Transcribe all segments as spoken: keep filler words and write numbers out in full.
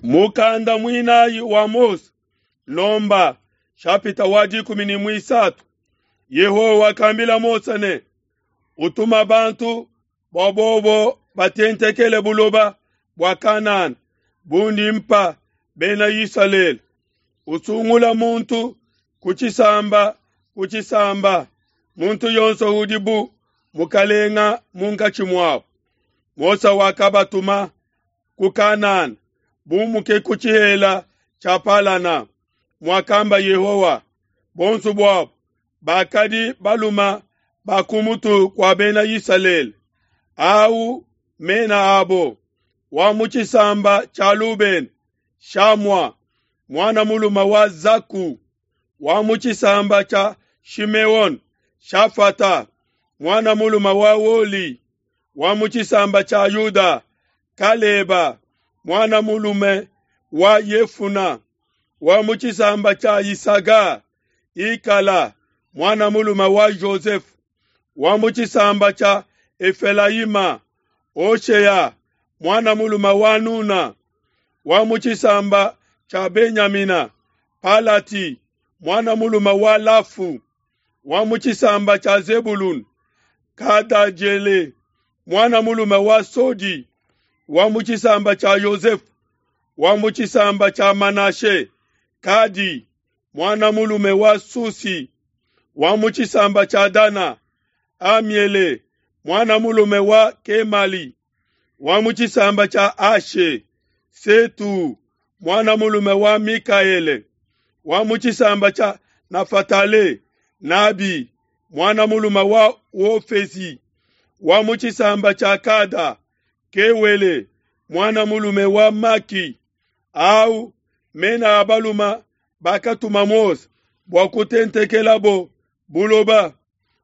Mukanda muinayi wa Mose, Lomba, shapita wa dikumi ne muisatu. Yehowa wakambila Mose ne, utuma bantu bua bobo batentekele buloba bua Kanana bundi mpa bena Isalele. Usungula muntu ku tshisamba ku tshisamba, muntu yonso udi bu mukalenga munkatshi muabo. Mose wakabatuma ku Kanana, bumuke ku tshihela tshia Palana, muakamba Yehowa. Bonso buabo bakadi baluma ba ku mutu kua bena Isalele. Au mena abo: wa mu tshisamba tshia Lubena, Shamua mwana muluma wa Zaku; wa mu tshisamba tshia Shimeone, Shafata mwana muluma wa Woli; wa mu tshisamba tshia Yuda, Kaleba mwana mulume wa Yefuna; wa mu tshisamba tshia Isaga, Ikala mwana mulume wa Jozefe; wa mu tshisamba tshia Efelayima, Hoshea mwana mulume wa Nuna; wa mu tshisamba tshia Benyamina, Palati mwana mulume wa Lafu; wa mu tshisamba tshia Zebulun, Kadajele mwana mulume wa Sodi; wa mu tshisamba tshia Yosefe, wa mu tshisamba tshia Manashe, Kadi mwana mulume wa Susi; wa mu tshisamba tshia Dana, Amiele mwana mulume wa Kemali; wa mu tshisamba tshia Ashe, Setu mwana mulume wa Mikaele; wa mu tshisamba tshia Nafatale, Nabi mwana mulume wa Wofesi; wa mu tshisamba tshia Kada, Kewele mwana mulume wa Maki. Au mena a baluma bakatuma Mose bua kutentekelabo buloba.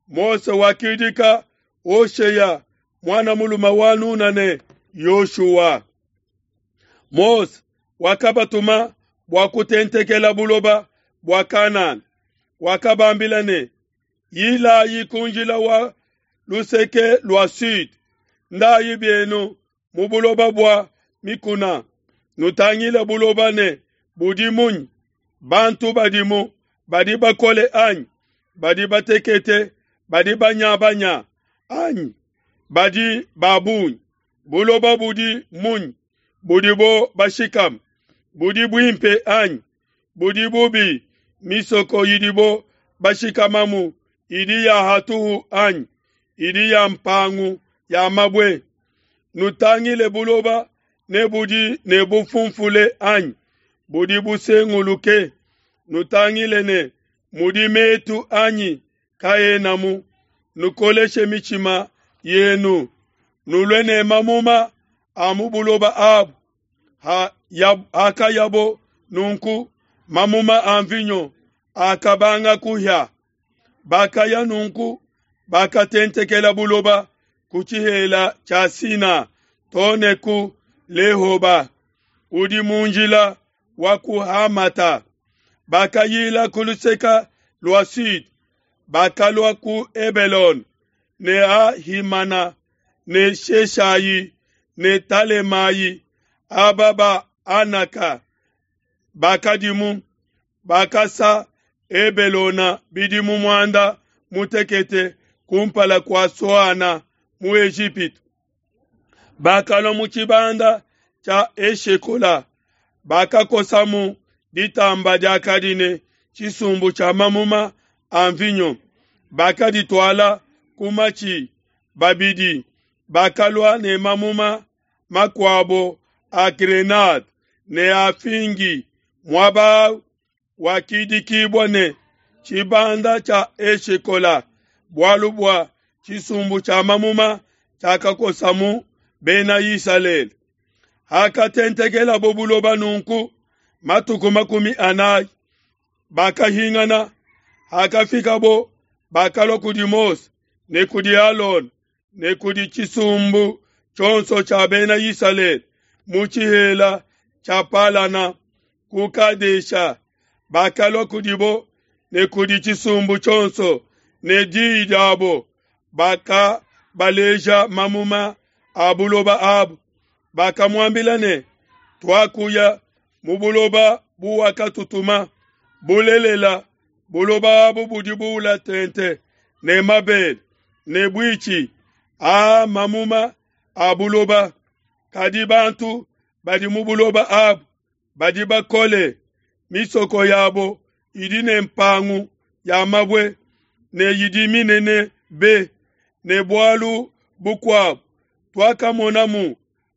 Mose wakidika Hoshea mwana mulume wa Nuna ne Yoshua. Mose wakabatuma bua kutentekela buloba bua Kanana. Wakabambila ne, yilayi ku njila wa luseke lua sud, ndayi bienu mu buloba bua mikuna, nutangile buloba ne budi munyi, bantu badimu badi bakole anyi, badi batekete, badi banyabanya anyi, badi ba bungi, buloba budi munyi, budibo bashikama, budi buimpe anyi, budi bubi, misoko idibo bashikamamu idi ya hatuhu anyi, idi ya mpangu ya mabue. Nutangile buloba ne budi ne bufunfule anyi, budi busenguluke. Nutangile ne mudi metu anyi kaenamu. Nukoleshe mitshima yenu, nulue ne mamuma a mu buloba abu. Ha, ya, hakayabo nunku, mamuma a mvinyo akabanga kuhia. Bakaya nunku, bakatentekela buloba ku tshihela tshia Sina too ne ku Lehoba, udi mu njila wa ku Hamata. Bakayila ku luseke lua sud, bakalua ku Hebelone ne Ahimana ne Sheshayi ne Talemayi, aba ba Anaka bakadimu. Bakasa Hebelona bidimu muanda mutekete kumpala kua Soana mu Ejipitu. Bakalua mu tshibanda tshia Eshekola, bakakosamu ditamba diakadi ne tshisumbu tshia mamuma a mvinyo, bakadituala ku matshi babidi. Bakalua ne mamuma makuabo a grenade ne a fingi, muaba wakidikibua ne tshibanda tshia Eshekola, bualu bua tshisumbu tshia mamuma tshiakakosamu bena Isalele. Hakatentekelabo buloba nunku matuku makumi anayi, bakahingana. Hakafikabo, bakalua kudi Mose ne kudi Alona ne kudi tshisumbu tshionso tshia bena Isalele mu tshihela tshia Palana ku Kadesha. Bakalua kudibo ne kudi tshisumbu tshionso ne diyi diabo, bakabaleja mamuma a buloba abu. Bakamuambila ne, Tuakuya mu buloba buwakatutuma, bulelela, buloba abu budi buula tente ne mabele ne buitshi, aa mamuma a buloba. Kadi bantu badi mu buloba abu badi bakole, misoko yabo idi ne mpangu ya mabue ne idi minene be. Ne bualu bukuabu, tuakamonamu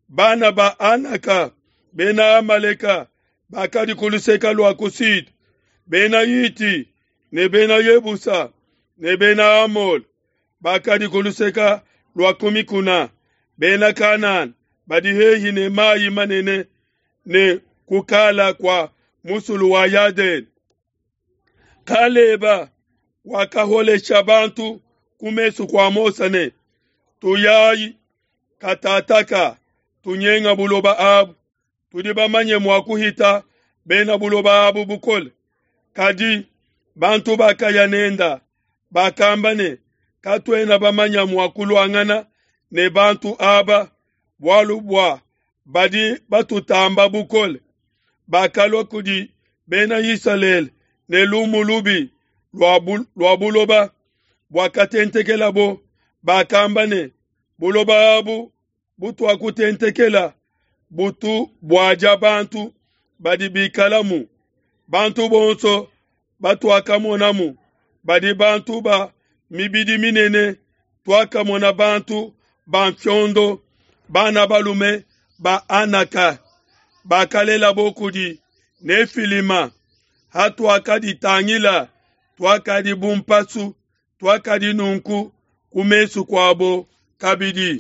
bana ba Anaka, bena Amaleka bakadi ku luseke lua ku sud, bena Hiti ne bena Yebusa ne bena Amole bakadi ku luseke lua ku mikuna, bena Kanana badi hehi ne mayi manene ne kukala kua musulu wa Yadene. Kaleba wakaholesha bantu ku mesu kua Mose ne, Tuyayi katataka, tunyenga buloba abu, tudi bamanye mua kuhita bena buloba abu bukole. Kadi bantu bakaya nenda bakamba ne, Katuena bamanya mua kuluangana ne bantu aba, bualu bua badi batutamba bukole. Bakalua kudi bena Isalele ne lumu lubi lua buloba buakatentekelabo, bakamba ne, Buloba abu butuakutentekela butu buadia bantu badi bikalamu. Bantu bonso batuakamonamu badi bantu ba mibidi minene, tuakamona bantu ba mfiondo, bana balume ba Anaka, bakalelabo kudi Nefilima. Hatuakaditangila, tuakadi bu mpasu, tuakadi nunku ku mesu kuabo kabidi.